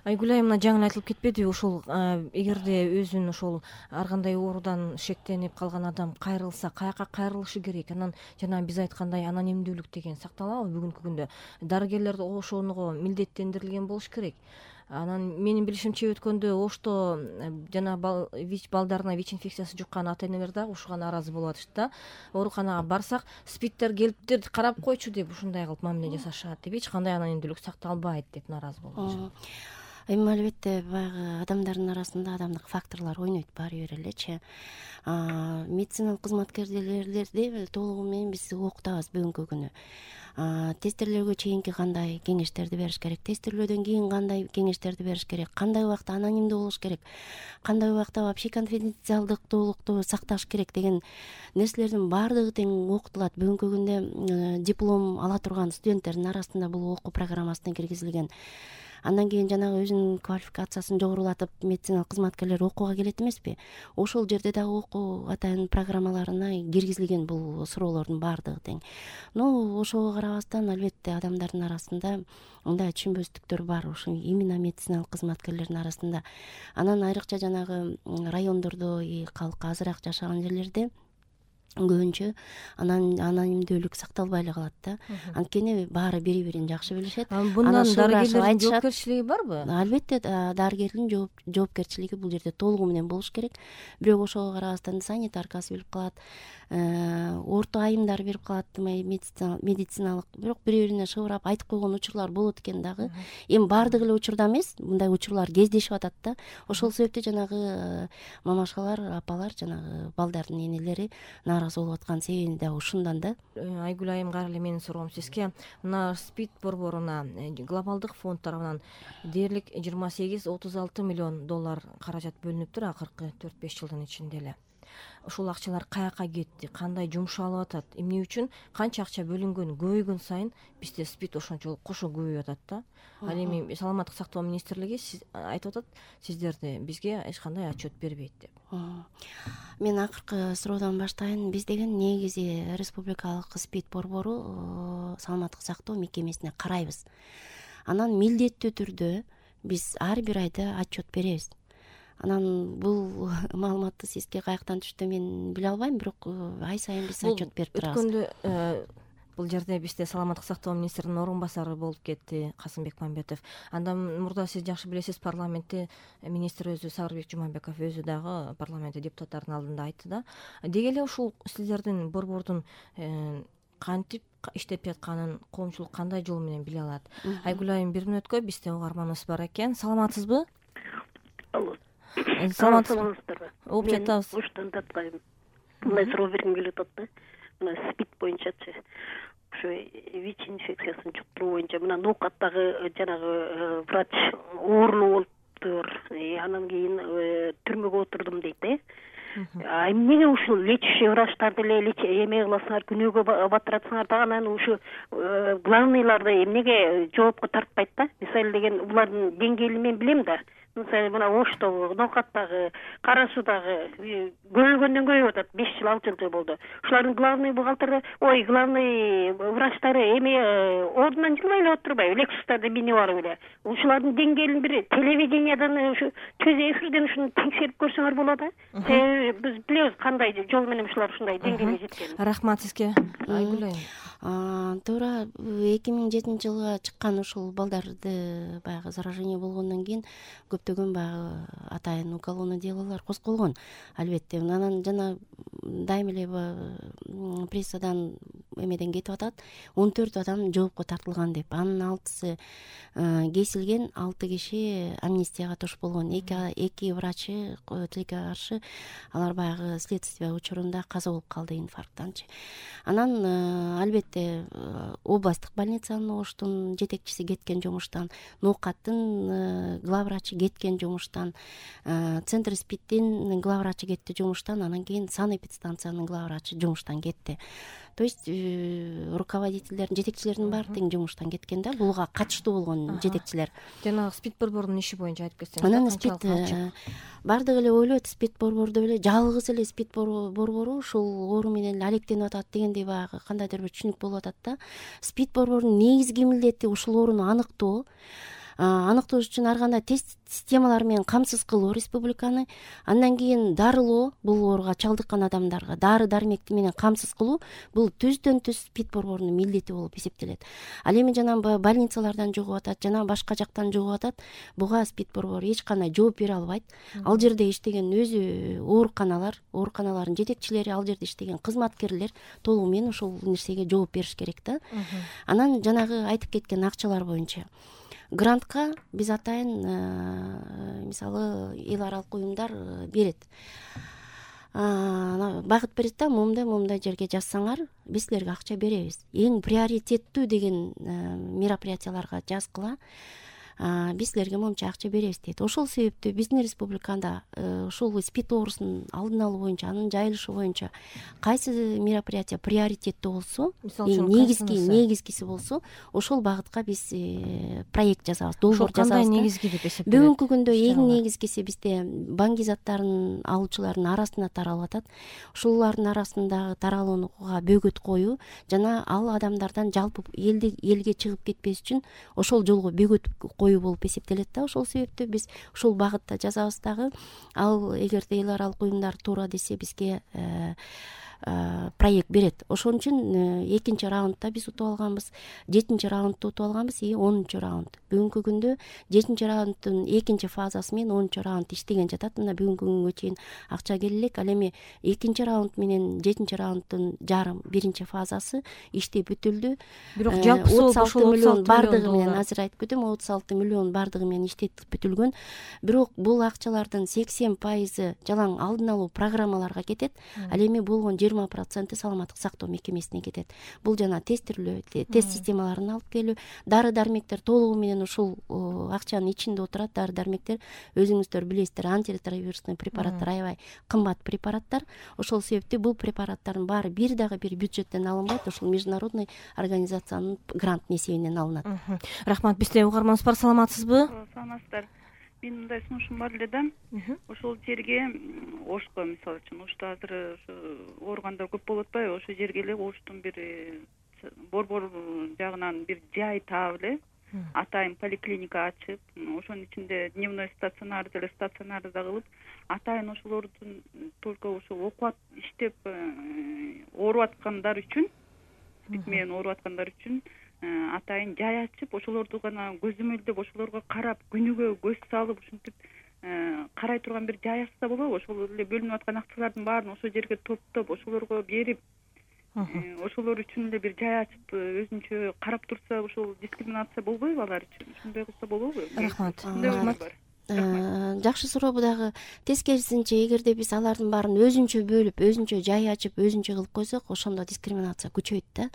Айгүл айым, мына жаңы айтылып кетпедиби, ошол эгерде өзүн ошол ар кандай оорудан шектенип калган адам кайрылса каяка кайрылышы керек? Анан жана биз айткандай анонимдүүлүк деген сакталабы бүгүнкү күндө? Дарыгерлер ошого милдеттендирилген болуш керек. Анан менин билишимче өткөндө Ошто жана ВИЧ балдарына ВИЧ инфекциясы жуккан ата-энелер дагы ушуга нааразы болуп атышты да. Ооруканага барсак спидтер келиптир, карап койчу деп ушундай кылып мамиле жасашат деп, эч кандай анонимдүүлүк сакталбайт деп нааразы болуп атышат. Эми албетте баягы адамдардын арасында адамдык факторлор ойнойт баары бир элечи. Медициналык кызматкерлерди толугу менен биз окутабыз бүгүнкү күнү. Тестирлөөгө чейинки кандай кеңештерди бериш керек, тестирлөөдөн кийин кандай кеңештерди бериш керек, кандай убакта анонимдүү болуш керек, кандай убакта вообще конфиденциалдыктуулукту сакташ керек деген нерселердин баардыгы тең окутулат. Бүгүнкү күндө диплом ала турган студенттердин арасында бул окуу программасына киргизилген. Андан кийин жанагы өзүнүн квалификациясын жогорулатып медициналык кызматкерлер окууга келет эмеспи? Ошол жерде дагы окуу атайын программаларына киргизилген бул суроолордун баардыгы тең. Ошого карабастан албетте адамдардын арасында мындай түшүнбөстүктөр бар, ошо именно медициналык кызматкерлердин арасында. Анан айрыкча жанагы райондордо, калкка азыраак жашаган жерлерде көбүнчө анонимдүүлүк сакталбай эле калат да. Анткени баары бири-бирин жакшы билишет. Bundan дарыгерлердин жоопкерчилиги барбы? Албетте дарыгердин жоопкерчилиги бул жерде толугу менен болуш керек. Бирок ошого карабастан санитаркасы билип калат, орто айымдар берип калат, медициналык, бирок бири-бирине шыбырап айтып койгон учурлар болот экен дагы. Эми баардык эле учурда эмес, мындай учурлар кездешип атат да. Ошол себептен жанагы мамашалар, апалар, жанагы балдардын энелери нааразы болуп аткан себеби да ушундан да. Айгүл айым, кара эле менин суроом сизге. Мына СПИД борборуна глобалдык фонд тарабынан дээрлик 28-36 миллион доллар каражат бөлүнүптүр акыркы 4-5 жылдын ичинде эле. Ушул акчалар каяка кетти, кандай жумшалып атат, эмне үчүн, канча акча бөлүнгөн көбөйгөн сайын бизде СПИД ошончолук кошо көбөйүп атат да. Ал эми саламаттык сактоо министрлиги айтып атат, сиздерди бизге эч кандай отчет бербейт деп. Мен акыркы суроодан баштайын. Биз деген негизи республикалык СПИД борбору саламаттык сактоо мекемесине карайбыз. Анан милдеттүү түрдө биз ар бир айда отчет беребиз. Анан бул маалыматты сизге каяктан түштү мен биле албайм, бирок ай сайын биз отчет берип турабыз. Өткөндө бул жерде бизде саламаттык сактоо министринин орун басары болуп кетти Касымбек Мамбетов. Андан мурда сиз жакшы билесиз, парламентте министр өзү, Сабырбек Жумабеков өзү дагы парламентте депутаттардын алдында айтты да. Деги эле ушул сиздердин борбордун кантип иштеп жатканын коомчулук кандай жол менен биле алат? Айгүл айым, бир мүнөткө бизде угарманыбыз бар экен. Саламатсызбы? Алло. Саламатсызбы? Угуп жатабыз. Оштон таткайм. Мындай суроо бергим келип атат да. Мына СПИД боюнчачы, ошо ВИЧ инфекциясын жуктуруу боюнча мына ноокаттагы жанагы врач оорунуу болуптур, анан кийин түрмөгө отурдум дейт эмнеге ушул лечащий врачтарды эле эме кыласыңар, күнөөгө батыратсыңар да, анан ушу главныйларды эмнеге жоопко тартпайт да? Мисалы деген булардын деңгээлин мен билем да. Мисалы мына Оштогу, Ноокаттагы, Кара Суудагы көбөйгөндөн көбөйүп атат. 5 жыл, 6 жыл болду. Ушулардын главный бухгалтери, главный врачтары эми ордунан жылбай эле отурбайбы, лексустарды минип алып эле. Ушулардын деңгээлин бир телевидениядан, ушу көз эфирден ушуну текшерип көрсөңөр болот да. Себеби биз билебиз кандай жол менен ушулар ушундай деңгээлге жеткенин. Рахмат сизге, Айгүл айым. Туура 2007-жылга чыккан ушул балдарды баягы заражение болгондон кийин көптөгөн баягы атайын уголовный делолор козголгон. Албетте, анан жана дайым эле прессадан эмеден кетип атат. 14 адам жоопко тартылган деп. Анын 6сы кесилген, 6 киши амнистияга туш болгон. 2 врачы тилекке каршы алар баягы следствие учурунда каза болуп калды инфаркттанчы. Анан албетте областтык больницанын Оштун жетекчиси кеткен жумуштан, Ноокаттын главврачы кеткен жумуштан, Центр СПИДтин главврачы кетти жумуштан, анан кийин санэпидстанциянын главврачы жумуштан кетти. То есть руководителдердин, жетекчилердин баары тең жумуштан кеткен да, буга катыштуу болгон жетекчилер. Жана СПИД борборунун иши боюнча айтып кетсеңиз. Анан СПИД бардыгы эле ойлойт, СПИД борбордо эле жалгыз эле СПИД борбору ушул оору менен эле алектенип атат дегендей баягы кандайдыр бир түшүнүк болуп атат да. СПИД борборунун негизги милдети ушул ооруну аныктоо. аныктоож үчүн ар кандай тест системалары менен камсыз кылуу республиканы, андан кийин дарылоо, бул ооруга чалдыккан адамдарга дары дармекти менен камсыз кылуу бул түздөн түз СПИД борборунун милдети болуп эсептелет. Ал эми жанагы больницалардан жугуп атат, жана башка жактан жугуп атат, буга СПИД борбору эч кандай жооп бере албайт. Ал жерде иштеген өзү ооруканалардын жетекчилери, ал жерде иштеген кызматкерлер толугу менен ушул нерсеге жооп бериш керек да. Анан жанагы айтып кеткен акчалар боюнча грантка биз атайын мисалы эл аралык уюмдар берет, багыт берет да, момундай жерге жазсаңар биз силерге акча беребиз. Эң приоритеттүү деген мероприятияларга жазгыла, биз силерге монча акча беребиз дейт. Ошол себептүү биздин республикада ушул СПИД оорусунун алдын алуу боюнча, анын жайылышы боюнча кайсы мероприятие приоритеттүү болсо, негизгиси болсо, ошол багытка биз проект жасабыз, долбоор жасабыз. Кандай негизги деп эсептелет? Бүгүнкү күндө эң негизгиси бизде банги заттарын алуучулардын арасында таралып атат. Ушулардын арасындагы таралууга бөгөт коюу жана ал адамдардан жалпы элге чыгып кетпеш үчүн ошол жолго бөгөт болуп эсептелет да. Ошол себептүү биз ушул багытта жазабыз дагы. Ал эгерде эл аралык уюмдар туура десе бизге проект берет. Ошон үчүн экинчи раундда биз утуп алганбыз, 7-чи раундда утуп алганбыз и 10-чу раунд. Бүгүнкү күндө 7-чи раунддун экинчи фазасы менен 10-чу раунд иштеген жатат. Мына бүгүнкү күнгө чейин акча келе элек. Ал эми 2-чи раунд менен 7-чи раунддун жарым биринчи фазасы иштеп бүтүлдү. Бирок жалпы 36 миллион бардыгы менен азыр айтып кетем, 36 миллион бардыгы менен иштетип бүтүлгөн. Бирок бул акчалардын 80% жалаң алдын алуу программаларга кетет. Ал эми болгон 20% саламаттык сактоо мекемесине кетет. Бул жана тестирлөө, тест системаларын алып келүү, дары дармектер толугу менен ушул акчанын ичинде отурат. Дары дармектер өзүңүздөр билесиздер, антиретровирусный препараттар аябай кымбат препараттар. Ошол себептүү бул препараттардын баары бир бюджеттен алынбайт, ушул международный организациянын грант эсебинен алынат. Рахмат. Бизде угарманыбыз бар, саламатсызбы? Саламатсыздар. Менин мындай сунушум бар эле да. Ошол жерге Ошко, мисалы үчүн, Ошто азыр ооругандар көп болуп атпайбы? Ошол жерге эле Оштун бир борбор жагынан бир жай таап эле атайын поликлиника ачып, ошонун ичинде дневной стационар деле стационарды да кылып, атайын ошолордун только ошол окуп иштеп ооруп аткандар үчүн, СПИД менен ооруп аткандар үчүн атайын жай ачып, ошолорду гана көзөмөлдөп, ошолорго карап, күнүгө көз салып, ушинтип карай турган бир жай ачса болобу? Ошол эле бөлүнүп аткан акчалардын баарын ошол жерге топтоп, ошолорго берип, ошолор үчүн эле бир жай ачып, өзүнчө карап турса, ошол дискриминация болбойбу алар үчүн? Ушундай кылса болобу? Рахмат. Жакшы суроо. Дагы тескерисинче, эгерде биз алардын баарын өзүнчө бөлүп, өзүнчө жай ачып, өзүнчө кылып койсок, ошондо дискриминация күчөйт да.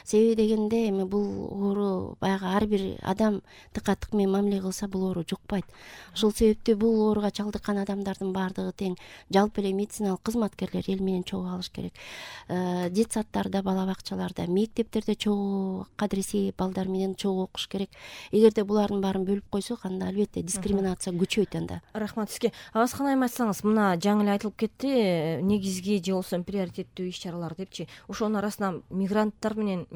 Себеби дегенде эми бул оору баягы ар бир адам тыкка-тык менен мамиле кылса, бул оору жукпайт. Ошол себептүү бул ооруга чалдыккан адамдардын баардыгы тең жалпы эле медициналык кызматкерлер эл менен чогуу алыш керек. Детсадтарда, бала бакчаларда, мектептерде чогуу кадыресей балдар менен чогуу окуш керек. Эгерде булардын баарын бөлүп койсок, анда албетте дискриминация күчөйт анда. Рахмат сизге. Абаскан айым, айтсаңыз, мына жаңы эле айтылып кетти, негизги же болбосо приоритеттүү иш-чаралар депчи. Ошонун арасынан мигранттар менен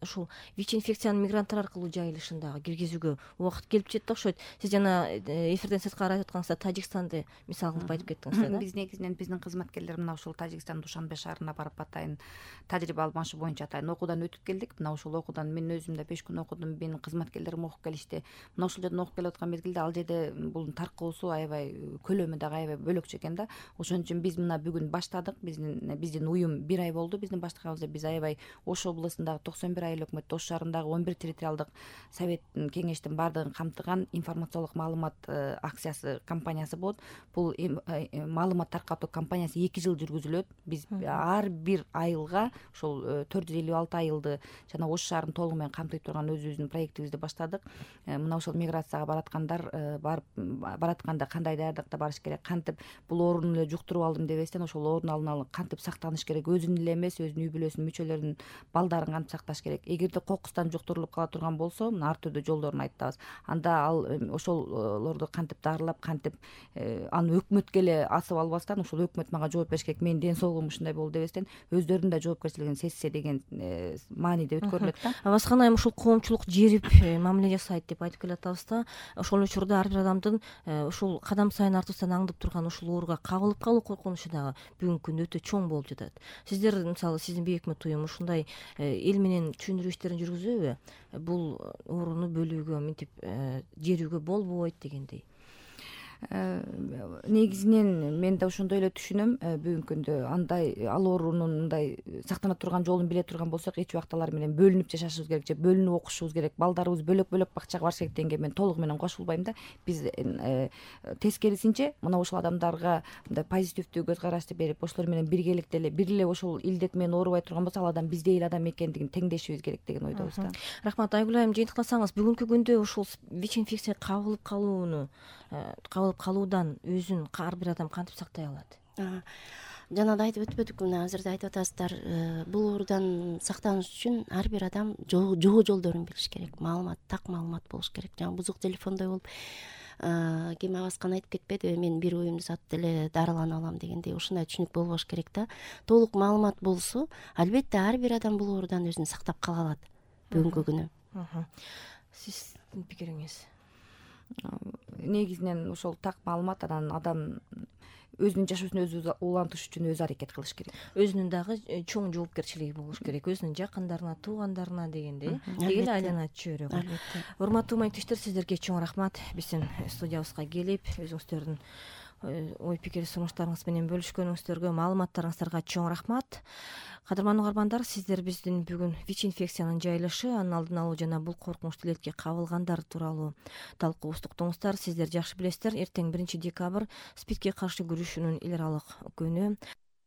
ушул ВИЧ-инфекциянын мигранттар аркылуу жайылышын дагы киргизүүгө убакыт келип жетти окшойт. Сиз жана эфирден сырткары айтып аткаңызда Тажикстанды мисал кылып айтып кеттиңиз да. Биз негизинен биздин кызматкерлер мына ушул Тажикстан Душанбе шаарына барып атайын тажрыйба алмашуу боюнча атайын окуудан өтүп келдик. Мына ушул окуудан мен өзүм да 5 күн окудум, менин кызматкерлерим окуп келишти. Мына ушул жерден окуп келип аткан мезгилде ал жерде бул таркоосу аябай, көлөмү дагы аябай бөлөкчө экен да. Ошон үчүн биз мына бүгүн баштадык. Биздин уюм 1 ай болду. Биздин баштаганыбызда биз аябай Ош облусундагы 91 айыл өкмөт, Ош шаарындагы 11 территориалдык совет кеңештин баардыгын камтыган информациялык маалымат акциясы компаниясы болот. Бул маалымат таркатуу компаниясы 2 жыл жүргүзүлөт. Биз ар бир айылга ошол 456 айылды жана Ош шаарын толугу менен камтый турган өзүбүздүн проектибизди баштадык. Мына ошол миграцияга бараткандар баратканда кандай даярдыкта барыш керек, кантип бул ооруну эле жуктуруп алдым дебестен ошол оорун алып кантип сактаныш керек, өзүн эле эмес, өзүнүн үй бүлөсүнүн мүчөлөрүнүн балдарын кантип сакташ керек. керек. Эгерде кокустан жуктурулуп кала турган болсо мына ар түрдүү жолдорун айтабыз. Анда ал ошолорду кантип дарылап, кантип аны өкмөткө эле асып албастан, ушул өкмөт мага жооп бериш керек, менин ден соолугум ушундай болду дебестен, өздөрүнүн да жоопкерчилигин сезсе деген мааниде өткөрүлөт да. Абаскан айым ушул коомчулук жерип мамиле жасайт деп айтып келатабыз да. Ошол учурда ар бир адамдын ушул кадам сайын артыбыздан аңдып турган ушул ооруга кабылып калуу коркунучу дагы бүгүнкү күндө өтө чоң болуп жатат. Сиздер мисалы сиздин бейөкмөт уюм ушундай эл менен түшүндүрүү иштерин жүргүзөбү? Бул ооруну бөлүүгө, мынтип жерүүгө болбойт дегендей. Негизинен мен да ошондой эле түшүнөм. Бүгүнкү күндө андай ал оорунун мындай сактана турган жолун биле турган болсок, эч убакта алар менен бөлүнүп жашашыбыз керек же бөлүнүп окушубуз керек, балдарыбыз бөлөк бакчага барыш керек дегенге мен толугу менен кошулбайм да. Биз тескерисинче мына ушул адамдарга мындай позитивдүү көз карашты берип, ошолор менен биргеликте эле бир эле ошол илдет менен оорубай турган болсо, ал адам биздей эле адам экендигин теңдешибиз керек деген ойдобуз да. Рахмат. Айгүл айым, жыйынтыктасаңыз, бүгүнкү күндө ушул ВИЧ-инфекция кабылып калуудан өзүн ар бир адам кантип сактай алат? Жана да айтып өтпөдүкпү, мына азыр да айтып атасыздар, бул оорудан сактаныш үчүн ар бир адам жоо жолдорун билиш керек, так маалымат болуш керек. Жана бузук телефондой болуп ким Абаскан айтып кетпедиби, мен бир уюмду сатып деле дарыланып алам дегендей, ушундай түшүнүк болбош керек да. Толук маалымат болсо, албетте ар бир адам бул оорудан өзүн сактап кала алат бүгүнкү күнү. Сиздин пикириңиз? Негизинен ошол так маалымат, анан адам өзүнүн жашоосун өзү улантыш үчүн өзү аракет кылыш керек. Өзүнүн дагы чоң жоопкерчилиги болуш керек, өзүнүн жакындарына, туугандарына дегендей, деги эле айланат чөйрөгү. Урматтуу маектештер, сиздерге чоң рахмат. Биздин студиябызга келип, өзүңүздөрдүн ой пикир сунуштарыңыз менен бөлүшкөнүңүздөргө, маалыматтарыңыздарга чоң рахмат. Кадырман угармандар, сиздер биздин бүгүн ВИЧ-инфекциянын жайылышы, анын алдын алуу жана бул коркунучтуу илетке кабылгандар тууралуу талкуубузду уктуңуздар. Сиздер жакшы билесиздер, эртең 1 декабрь СПИДке каршы күрөшүүнүн эл аралык күнү.